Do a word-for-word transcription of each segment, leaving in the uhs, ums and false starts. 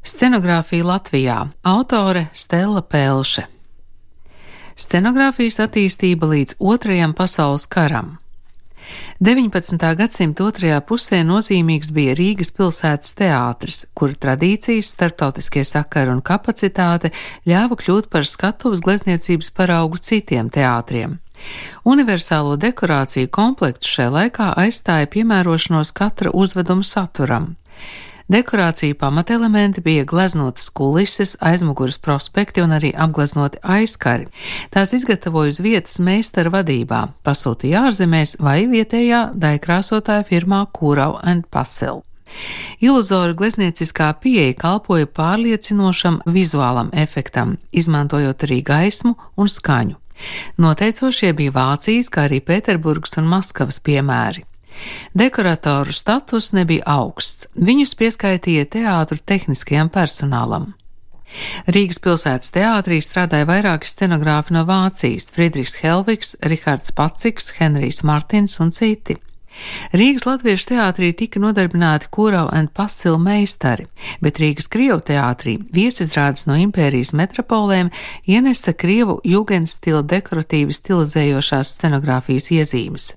Scenogrāfija Latvijā. Autore Stella Pelše. Scenogrāfijas attīstība līdz Otrajam pasaules karam. deviņpadsmitā gadsimta otrajā pusē nozīmīgs bija Rīgas pilsētas teātris, kura tradīcijas, starptautiskie sakari un kapacitāte ļāva kļūt par skatuves glezniecības paraugu citiem teātriem. Universālo dekorāciju komplektu šai laikā aizstāja piemērošanos katra uzveduma saturam. Dekorāciju pamatelementi bija gleznotas kulises, aizmuguras prospekti un arī apgleznoti aizkari. Tās izgatavoja uz vietas meistara vadībā, pasūtīja ārzemēs vai vietējā daikrāsotāja firmā Kurau and Pasil. Iluzora gleznieciskā pieeja kalpoja pārliecinošam vizuālam efektam, izmantojot arī gaismu un skaņu. Noteicošie bija Vācijas, kā arī Pēterburgas un Maskavas piemēri. Dekoratoru status nebija augsts, viņus pieskaitīja teātru tehniskajam personālam. Rīgas pilsētas teātrī strādāja vairāki scenogrāfi no Vācijas – Friedrichs Helvigs, Rihards Paciks, Henrijs Martins un citi. Rīgas latviešu teātrī tika nodarbināti Kurau and Pasil meistari, bet Rīgas krievu teātrī viesizrādes no impērijas metropolēm ienesa krievu jugendstila dekoratīvi stilizējošās scenogrāfijas iezīmes.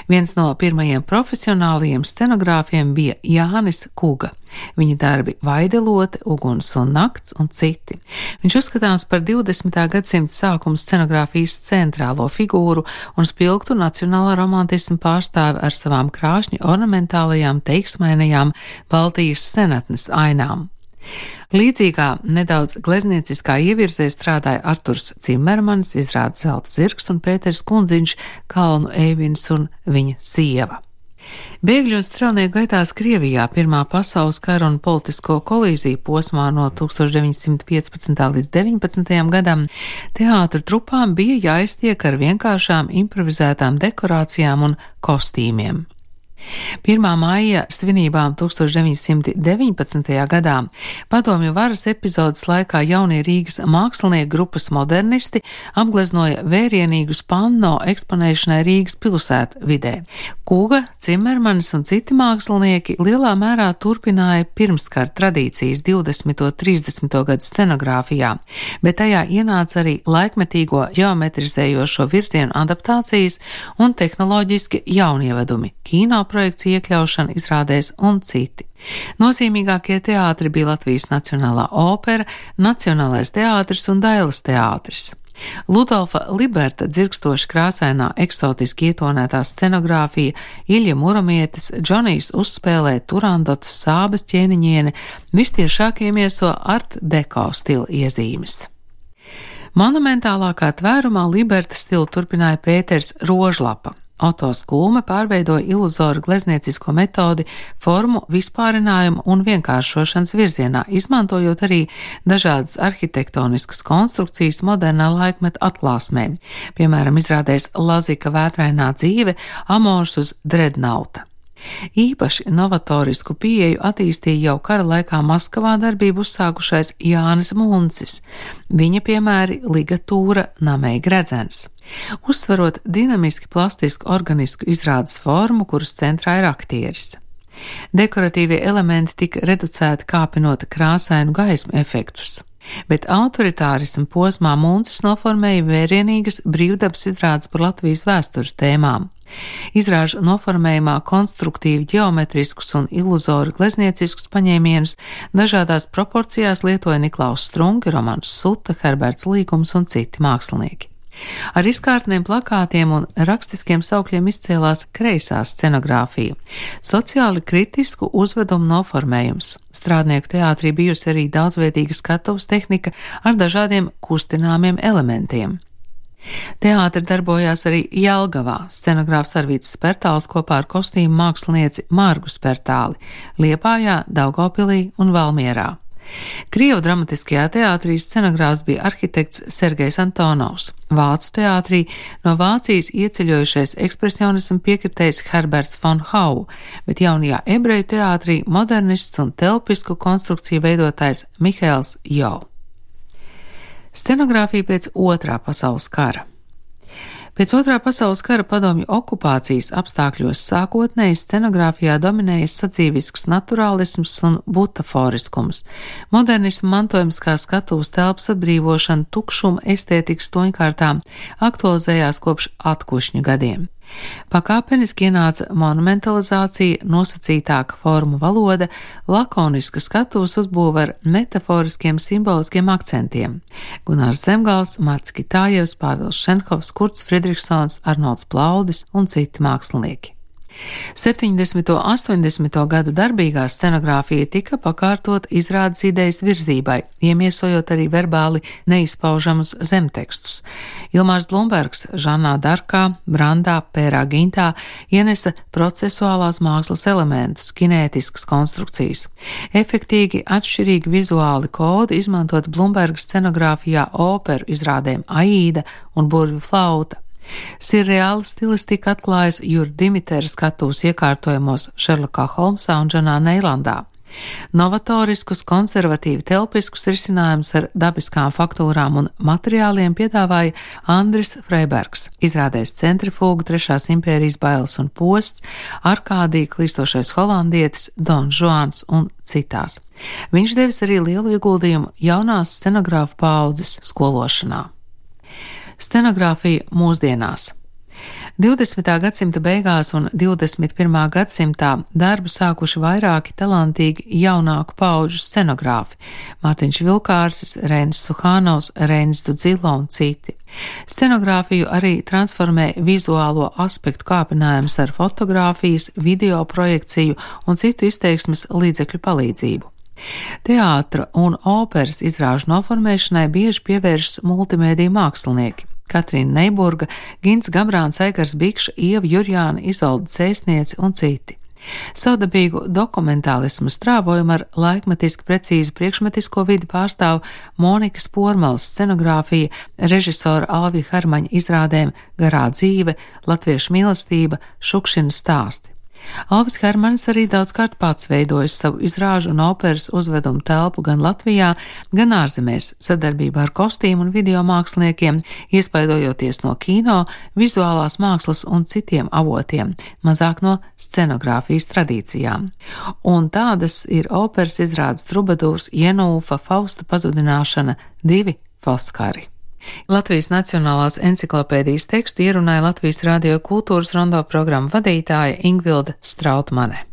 Viens no pirmajiem profesionālajiem scenogrāfiem bija Jānis Kuga. Viņa darbi Vaidelote, Uguns un nakts un citi. Viņš uzskatāms par divdesmitā gadsimta sākuma scenogrāfijas centrālo figūru un spilgtu nacionālā romantisma pārstāvi ar savām krāšņi ornamentālajām teiksmainajām Baltijas senatnes ainām. Līdzīgā nedaudz gleznieciskā ievirzē strādāja Arturs Cimermans, izrāda Zelta zirgs un Pēters Kundziņš, Kalnu Eivins un viņa sieva. Bēgļu un strelnieku gaitās Krievijā Pirmā pasaules kara un politisko kolīziju posmā no tūkstoš deviņsimt piecpadsmitā līdz deviņpadsmitajam gadam teātru trupām bija jāiztiek ar vienkāršām improvizētām dekorācijām un kostīmiem. Pirmā maija svinībām tūkstoš deviņsimt deviņpadsmitajā gadā padomju varas epizodes laikā jaunie Rīgas mākslinieku grupas modernisti apgleznoja vērienīgus panno eksponēšanai Rīgas pilsētu vidē. Kuga, Cimermanis un citi mākslinieki lielā mērā turpināja pirmskara tradīcijas divdesmito un trīsdesmito gadu scenogrāfijā, bet tajā ienāca arī laikmetīgo ģeometrizējošo virzienu adaptācijas un tehnoloģiski jaunievedumi, kino projekciju iekļaušana izrādēs un citi. Nozīmīgākie teātri bija Latvijas Nacionālā opera, Nacionālais teātris un Dailes teātris. Ludolfa Liberta dzirkstoši krāsainā eksotiski ietonētā scenogrāfija, Iļja Muramietis, Džonijs uzspēlē Turandotas Sābes ķēniņiene, vistiešāk iemieso art deko stila iezīmes. Monumentālākā tvērumā Liberta stilu turpināja Pēters Rožlapa. Oto Skūme pārveidoja iluzora glezniecisko metodi formu vispārinājumu un vienkāršošanas virzienā, izmantojot arī dažādas arhitektoniskas konstrukcijas modernā laikmeta atklāsmēm, piemēram, izrādēs Lazika vētrainā dzīve, amors uz Drednauta. Īpaši novatorisku pieeju attīstīja jau kara laikā Maskavā darbību uzsākušais Jānis Muncis. Viņa piemēri ligatūra, namei gredzens. Uzsverot dinamiski plastisku organisku izrādes formu, kuras centrā ir aktieris. Dekoratīvie elementi tika reducēti kāpinot krāsainu gaismu efektus. Bet autoritārismu posmā Muncis noformēja vērienīgas brīvdabas izrādes par Latvijas vēstures tēmām. Izrāžu noformējumā konstruktīvi ģeometriskus un iluzoru gleznieciskus paņēmienus dažādās proporcijās lietoja Niklaus Strunke, Romans Suta, Herberts Līgums un citi mākslinieki. Ar izkārtniem plakātiem un rakstiskiem saukļiem izcēlās kreisā scenogrāfija, sociāli kritisku uzvedumu noformējums. Strādnieku teātrī bijusi arī daudzveidīga skatuves tehnika ar dažādiem kustināmiem elementiem. Teātri darbojās arī Jelgavā, scenogrāfs Arvīts Spertāls kopā ar kostīmu mākslinieci Margu Spertāli, Liepājā, Daugavpilī un Valmierā. Krievu dramatiskajā teātrī scenogrāfs bija arhitekts Sergejs Antonovs, Vācu teātrī no Vācijas ieceļojušais ekspresionismu piekritējs Herberts von Hau, bet jaunajā ebreju teātrī modernists un telpisku konstrukciju veidotājs Mihails Jo. Scenogrāfija pēc Otrā pasaules kara. Pēc Otrā pasaules kara padomju okupācijas apstākļos sākotnēji scenogrāfijā dominējas sadzīvisks naturālisms un butaforiskums. Modernisma mantojums kā skatuves telpas atbrīvošana tukšuma estētikas toņkārtām aktualizējās kopš atkušņu gadiem. Pakāpeniski ienāca monumentalizācija, nosacītāka formu valoda, lakoniska skatuves uzbūve ar metaforiskiem simboliskiem akcentiem. Gunārs Zemgals, Marts Kitājevs, Pāvils Šenhovs, Kurts Fridriksons, Arnolds Plaudis un citi mākslinieki. septiņdesmito un astoņdesmito gadu darbīgā scenogrāfija tika pakārtot izrādes idejas virzībai, iemiesojot arī verbāli neizpaužamus zemtekstus. Ilmārs Blumbergs Žanā Darkā, Brandā, Pērā Gintā ienesa procesuālās mākslas elementus, kinētiskas konstrukcijas. Efektīgi atšķirīgi vizuāli kodi izmantot Blumberga scenogrāfijā operu izrādēm Aīda un Burvju flauta. Sirreāla stilistika atklājas Jura Dimitera skatuves iekārtojumos Šerlokā Holmsā un Džanā Neilandā. Novatoriskus, konservatīvi telpiskus risinājumus ar dabiskām faktūrām un materiāliem piedāvāja Andris Freibergs, izrādēs Centrifūga, Trešās impērijas bailes un posts, Arkādija, Klīstošais holandietis, Don Žuans un citās. Viņš devis arī lielu ieguldījumu jaunās scenogrāfu paaudzes skološanā. Scenogrāfija mūsdienās. divdesmitā gadsimta beigās un divdesmit pirmā gadsimtā darbu sākuši vairāki talantīgi jaunāku paudžu scenogrāfi – Mārtiņš Vilkārsis, Reinis Suhānovs, Reinis Dudzilo un citi. Scenogrāfiju arī transformē vizuālo aspektu kāpinājums ar fotogrāfijas, video projekciju un citu izteiksmes līdzekļu palīdzību. Teātra un operas izrāžu noformēšanai bieži pievēršas multimēdiju mākslinieki. Katrīna Neiburga, Gints Gabrāns, Eigars Bikša, Ieva Jurjāna, Izolda Cēsniece un citi. Savdabīgu dokumentālismu strāvojumu ar laikmetiski precīzu priekšmetisko vidi pārstāv Monikas Pormalas scenogrāfija, režisora Alvija Hermaņa izrādēm Garā dzīve, Latviešu mīlestība, Šukšina stāsti. Alvis Hermanis arī daudzkārt pats veidojis savu izrāžu un operas uzvedumu telpu gan Latvijā, gan ārzemēs, sadarbībā ar kostīmu un video māksliniekiem, iespaidojoties no kino, vizuālās mākslas un citiem avotiem, mazāk no scenogrāfijas tradīcijām. Un tādas ir operas izrādes Trubadūrs, Jenūfa, Fausta pazudināšana, divi Foskari. Latvijas Nacionālās enciklopēdijas tekstu ierunāja Latvijas Radio kultūras rondo programmu vadītāja Ingvilda Strautmane.